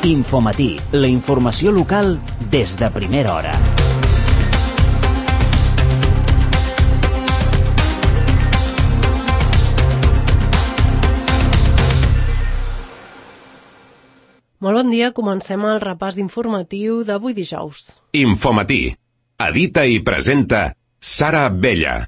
Infomatí, la informació local des de primera hora. Molt bon dia, comencem el repàs informatiu d'avui dijous. Infomatí. Edita i presenta Sara Abella.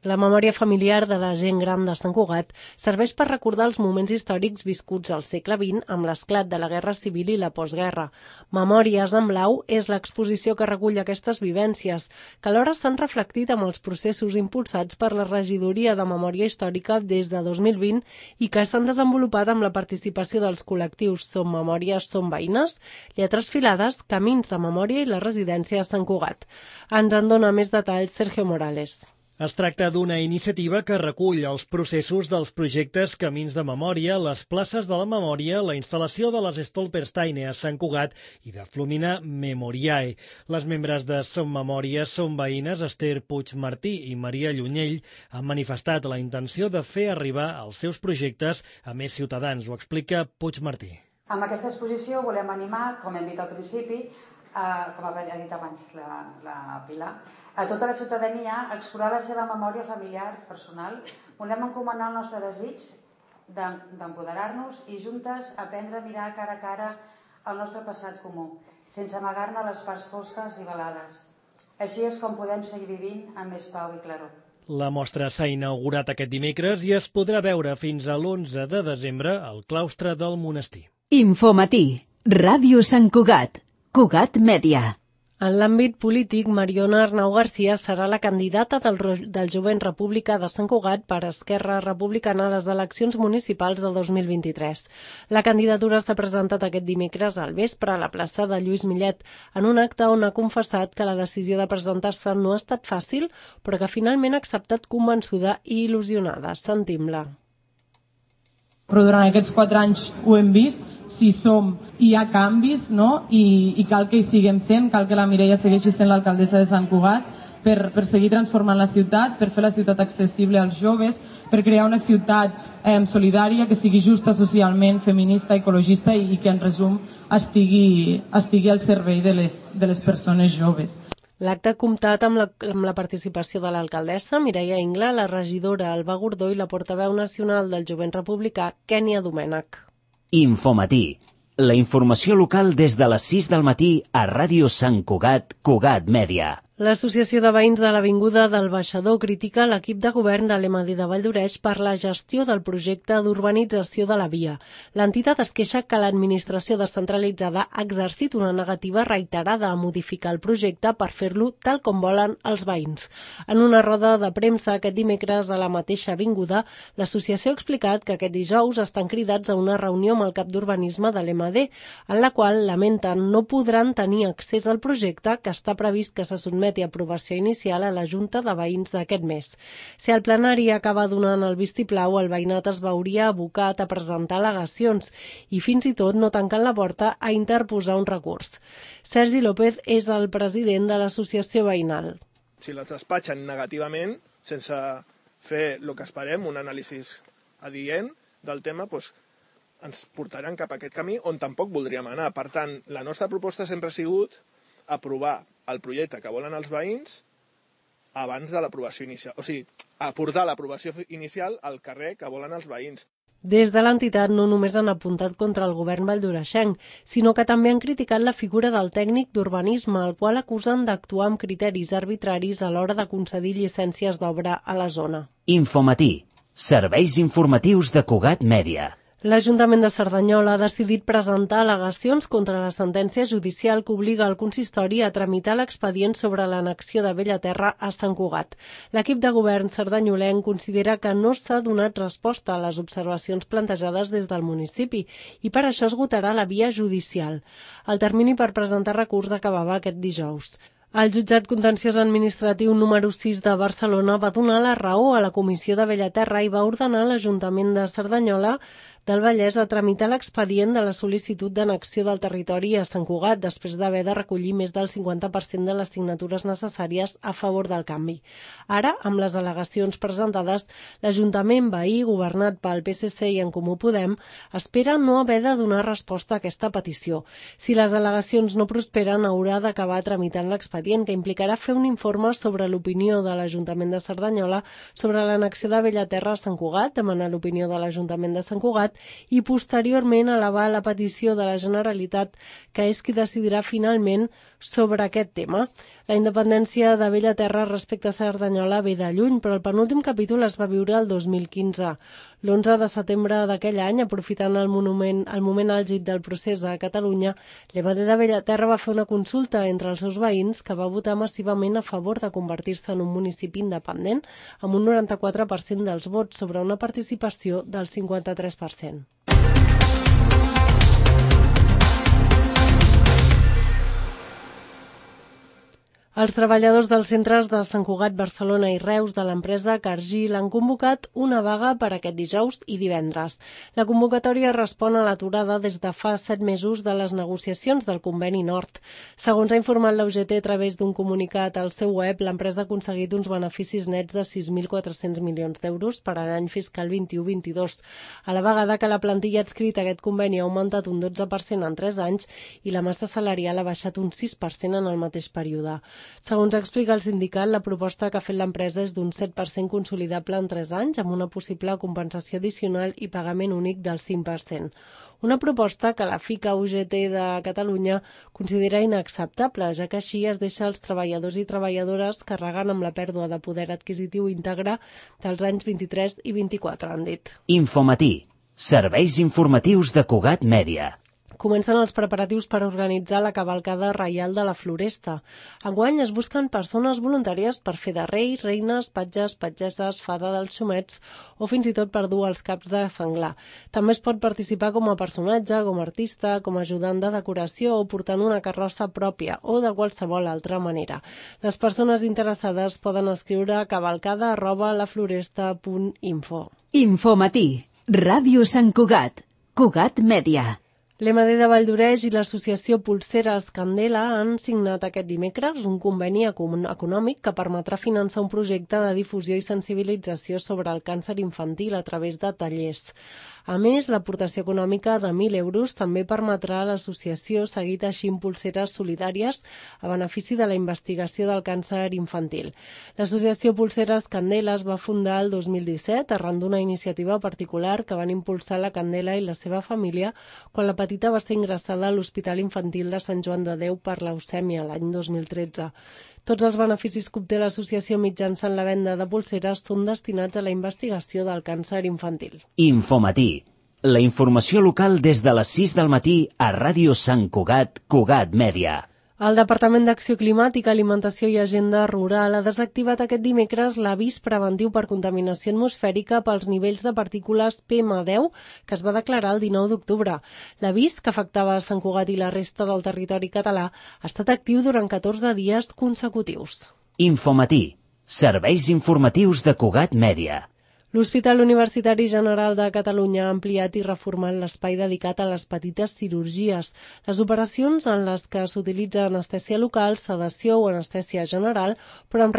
La memòria familiar de la gent gran de Sant Cugat serveix per recordar els moments històrics viscuts al segle XX amb l'esclat de la Guerra Civil i la postguerra. Memòries en blau és l'exposició que recull aquestes vivències, que alhora s'han reflectit amb els processos impulsats per la Regidoria de Memòria Històrica des de 2020 i que s'han desenvolupat amb la participació dels col·lectius Som Memòries, Som Veïnes, Lletres Filades, Camins de Memòria i la Residència de Sant Cugat. Ens en dona més detalls Sergio Morales. Es tracta d'una iniciativa que recull els processos dels projectes Camins de Memòria, les places de la memòria, la instal·lació de les Stolpersteine a Sant Cugat i de Flumina Memoriae. Les membres de Som Memòria, Som Veïnes, Esther Puigmartí i Maria Llunyell, han manifestat la intenció de fer arribar els seus projectes a més ciutadans. Ho explica Puigmartí. Amb aquesta exposició volem animar, com hem dit al principi, com ha dit abans la Pilar, a tota la ciutadania a explorar la seva memòria familiar, personal. Volem encomanar el nostre desig d'empoderar-nos i juntes aprendre a mirar cara a cara el nostre passat comú, sense amagar-ne les parts fosques i velades. Així és com podem seguir vivint amb més pau i claror. La mostra s'ha inaugurat aquest dimecres i es podrà veure fins a l'11 de desembre al claustre del monestir. Infomatí, Ràdio Sant Cugat, Cugat Mèdia. En l'àmbit polític, Mariona Arnau Garcia serà la candidata del Jovent República de Sant Cugat per Esquerra Republicana a les eleccions municipals del 2023. La candidatura s'ha presentat aquest dimecres al vespre a la plaça de Lluís Millet, en un acte on ha confessat que la decisió de presentar-se no ha estat fàcil, però que finalment ha acceptat convençuda i il·lusionada. Sentim-la. Però durant aquests 4 anys ho hem vist, si som, hi ha canvis, no? I cal que hi siguem sent, cal que la Mireia segueixi sent l'alcaldessa de Sant Cugat per seguir transformant la ciutat, per fer la ciutat accessible als joves, per crear una ciutat solidària, que sigui justa socialment, feminista, ecologista i que en resum estigui al servei de les persones joves. L'acte ha comptat amb la participació de l'alcaldessa Mireia Ingla, la regidora Alba Gordó i la portaveu nacional del Jovent Republicà, Kènia Domènech. Infomatí, la informació local des de les 6 del matí a Ràdio Sant Cugat, Cugat Mèdia. L'Associació de Veïns de l'Avinguda del Baixador critica l'equip de govern de l'EMADI de Valldoreix per la gestió del projecte d'urbanització de la via. L'entitat es queixa que l'administració descentralitzada ha exercit una negativa reiterada a modificar el projecte per fer-lo tal com volen els veïns. En una roda de premsa aquest dimecres a la mateixa avinguda, l'associació ha explicat que aquest dijous estan cridats a una reunió amb el cap d'urbanisme de l'EMAD, en la qual lamenten no podran tenir accés al projecte que està previst que se sotmeti a aprovació inicial a la Junta de Veïns d'aquest mes. Si el plenari acaba donant el vistiplau, el veïnat es veuria abocat a presentar al·legacions i fins i tot no tancant la porta a interposar un recurs. Sergi López és el president de l'associació veïnal. Si les despatxen negativament, sense fer el que esperem, un anàlisi adient del tema, doncs ens portaran cap a aquest camí on tampoc voldríem anar. Per tant, la nostra proposta sempre ha sigut aprovar el projecte que volen els veïns abans de l'aprovació inicial. O sigui, aportar l'aprovació inicial al carrer que volen els veïns. Des de l'entitat no només han apuntat contra el govern valldoreixenc, sinó que també han criticat la figura del tècnic d'urbanisme, el qual acusen d'actuar amb criteris arbitraris a l'hora de concedir llicències d'obra a la zona. Infomatí, serveis informatius de Cugat Mèdia. L'Ajuntament de Cerdanyola ha decidit presentar al·legacions contra la sentència judicial que obliga el consistori a tramitar l'expedient sobre l'annexió de Bellaterra a Sant Cugat. L'equip de govern cerdanyolenc considera que no s'ha donat resposta a les observacions plantejades des del municipi i per això esgotarà la via judicial. El termini per presentar recurs acabava aquest dijous. El jutjat contenciós administratiu número 6 de Barcelona va donar la raó a la Comissió de Bellaterra i va ordenar a l'Ajuntament de Cerdanyola del Vallès a tramitar l'expedient de la sol·licitud d'annexió del territori a Sant Cugat després d'haver de recollir més del 50% de les signatures necessàries a favor del canvi. Ara, amb les al·legacions presentades, l'Ajuntament veí, governat pel PSC i En Comú Podem, espera no haver de donar resposta a aquesta petició. Si les al·legacions no prosperen, haurà d'acabar tramitant l'expedient, que implicarà fer un informe sobre l'opinió de l'Ajuntament de Cerdanyola sobre l'annexió de Bellaterra a Sant Cugat, demanar l'opinió de l'Ajuntament de Sant Cugat i posteriorment elevar la petició de la Generalitat, que és qui decidirà finalment sobre aquest tema. La independència de Bellaterra respecte a Cerdanyola ve de lluny, però el penúltim capítol es va viure el 2015. L'11 de setembre d'aquell any, aprofitant el moment àlgid del procés a Catalunya, l'EMD de Bellaterra va fer una consulta entre els seus veïns que va votar massivament a favor de convertir-se en un municipi independent, amb un 94% dels vots sobre una participació del 53%. Els treballadors dels centres de Sant Cugat, Barcelona i Reus de l'empresa Cargill han convocat una vaga per aquest dijous i divendres. La convocatòria respon a l'aturada des de fa 7 mesos de les negociacions del Conveni Nord. Segons ha informat la UGT a través d'un comunicat al seu web, l'empresa ha aconseguit uns beneficis nets de 6.400 milions d'euros per a l'any fiscal 21-22, a la vegada que la plantilla adscrita a aquest conveni ha augmentat un 12% en 3 anys i la massa salarial ha baixat un 6% en el mateix període. Segons explica el sindicat, la proposta que ha fet l'empresa és d'un 7% consolidable en 3 anys, amb una possible compensació addicional i pagament únic del 5%. Una proposta que la FICA UGT de Catalunya considera inacceptable, ja que així es deixa els treballadors i treballadores carregant amb la pèrdua de poder adquisitiu íntegre dels anys 23 i 24, han dit. Infomatí. Serveis informatius de Cugat Mèdia. Comencen els preparatius per organitzar la cavalcada reial de la Floresta. Enguany es busquen persones voluntàries per fer de reis, reines, patges, patgesses, fada dels xumets o fins i tot per dur els caps de senglar. També es pot participar com a personatge, com a artista, com a ajudant de decoració o portant una carrossa pròpia o de qualsevol altra manera. Les persones interessades poden escriure a cavalcada@lafloresta.info. Infomatí. Ràdio Sant Cugat. Cugat Mèdia. L'EMD de Valldoreix i l'associació Polseres Candela han signat aquest dimecres un conveni econòmic que permetrà finançar un projecte de difusió i sensibilització sobre el càncer infantil a través de tallers. A més, l'aportació econòmica de 1.000 euros també permetrà a l'associació seguir teixint polseres solidàries a benefici de la investigació del càncer infantil. L'associació Polseres Candela es va fundar el 2017 arran d'una iniciativa particular que van impulsar la Candela i la seva família quan la petita va ser ingressada a l'Hospital Infantil de Sant Joan de Déu per leucèmia l'any 2013. Tots els beneficis que obté l'associació mitjançant la venda de polseres són destinats a la investigació del càncer infantil. Infomatí. La informació local des de les 6 del matí a Ràdio Sant Cugat, Cugat Mèdia. El Departament d'Acció Climàtica, Alimentació i Agenda Rural ha desactivat aquest dimecres l'avís preventiu per contaminació atmosfèrica pels nivells de partícules PM10 que es va declarar el 19 d'octubre. L'avís, que afectava a Sant Cugat i la resta del territori català, ha estat actiu durant 14 dies consecutius. Infomatí. Serveis informatius de Cugat Mèdia. L'Hospital Universitari General de Catalunya ha ampliat i reformat l'espai dedicat a les petites cirurgies, les operacions en les que s'utilitza anestèsia local, sedació o anestèsia general, però amb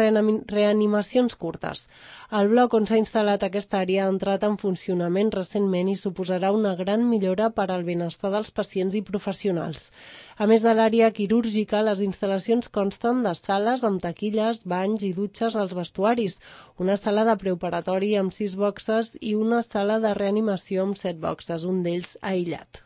reanimacions curtes. El bloc on s'ha instal·lat aquesta àrea ha entrat en funcionament recentment i suposarà una gran millora per al benestar dels pacients i professionals. A més de l'àrea quirúrgica, les instal·lacions consten de sales amb taquilles, banys i dutxes als vestuaris, una sala de preoperatori amb 6 boxes i una sala de reanimació amb 7 boxes, un d'ells aïllat.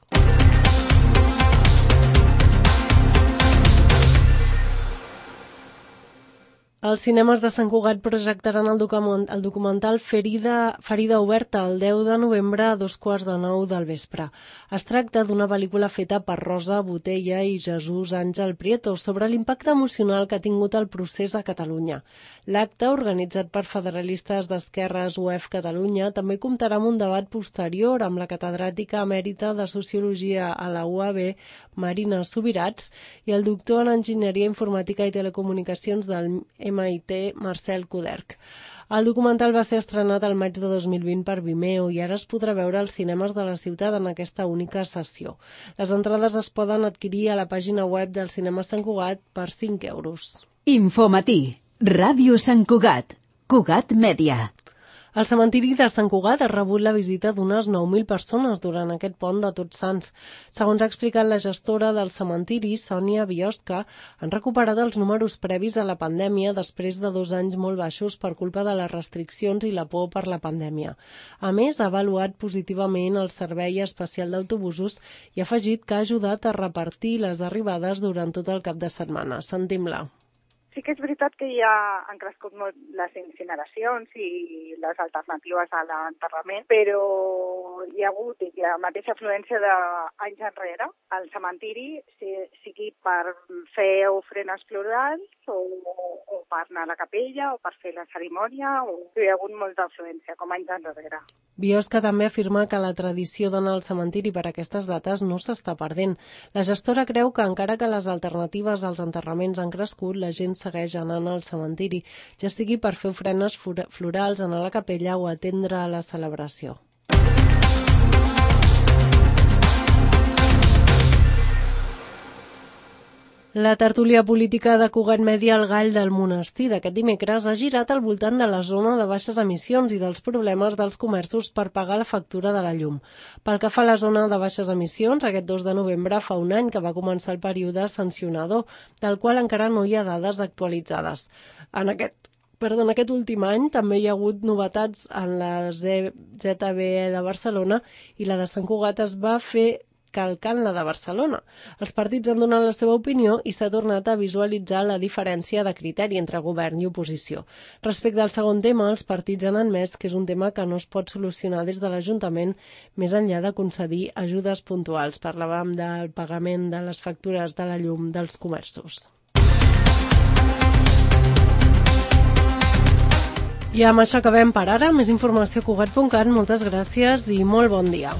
Els cinemes de Sant Cugat projectaran el documental Ferida Oberta el 10 de novembre a 8:45 del vespre. Es tracta d'una pel·lícula feta per Rosa Botella i Jesús Àngel Prieto sobre l'impacte emocional que ha tingut el procés a Catalunya. L'acte, organitzat per federalistes d'esquerres UEF Catalunya, també comptarà amb un debat posterior amb la catedràtica emèrita de Sociologia a la UAB, Marina Subirats, i el doctor en Enginyeria Informàtica i Telecomunicacions del MIT, Marcel Coderch. El documental va ser estrenat al maig de 2020 per Vimeo i ara es podrà veure als cinemes de la ciutat en aquesta única sessió. Les entrades es poden adquirir a la pàgina web del Cinema Sant Cugat per 5 euros. Infomatí, Ràdio Sant Cugat, Cugat Mèdia. El cementiri de Sant Cugat ha rebut la visita d'unes 9.000 persones durant aquest pont de Tots Sants. Segons ha explicat la gestora del cementiri, Sònia Biosca, han recuperat els números previs a la pandèmia després de 2 anys molt baixos per culpa de les restriccions i la por per la pandèmia. A més, ha avaluat positivament el servei especial d'autobusos i ha afegit que ha ajudat a repartir les arribades durant tot el cap de setmana. Sentim-la. Sí que és veritat que ja han crescut molt les incineracions i les alternatives a l'enterrament, però hi ha hagut la mateixa afluència d'anys enrere al cementiri, sigui per fer ofrenes florals o per anar a la capella o per fer la cerimònia, hi ha hagut molta afluència, com anys enrere. Biosca també afirma que la tradició d'anar al cementiri per aquestes dates no s'està perdent. La gestora creu que encara que les alternatives als enterraments han crescut, la gent segueix anant al cementiri, ja sigui per fer ofrenes florals, anar a la capella o atendre a la celebració. La tertúlia política de Cugat Mèdia al Gall del Monestir d'aquest dimecres ha girat al voltant de la zona de baixes emissions i dels problemes dels comerços per pagar la factura de la llum. Pel que fa a la zona de baixes emissions, aquest 2 de novembre fa un any que va començar el període sancionador, del qual encara no hi ha dades actualitzades. En aquest últim any també hi ha hagut novetats en la ZBE de Barcelona i la de Sant Cugat es va fer calcant la de Barcelona. Els partits han donat la seva opinió i s'ha tornat a visualitzar la diferència de criteri entre govern i oposició. Respecte al segon tema, els partits han admès que és un tema que no es pot solucionar des de l'Ajuntament més enllà de concedir ajudes puntuals. Parlàvem del pagament de les factures de la llum dels comerços. I amb això acabem per ara. Més informació a Cugat.cat. Moltes gràcies i molt bon dia.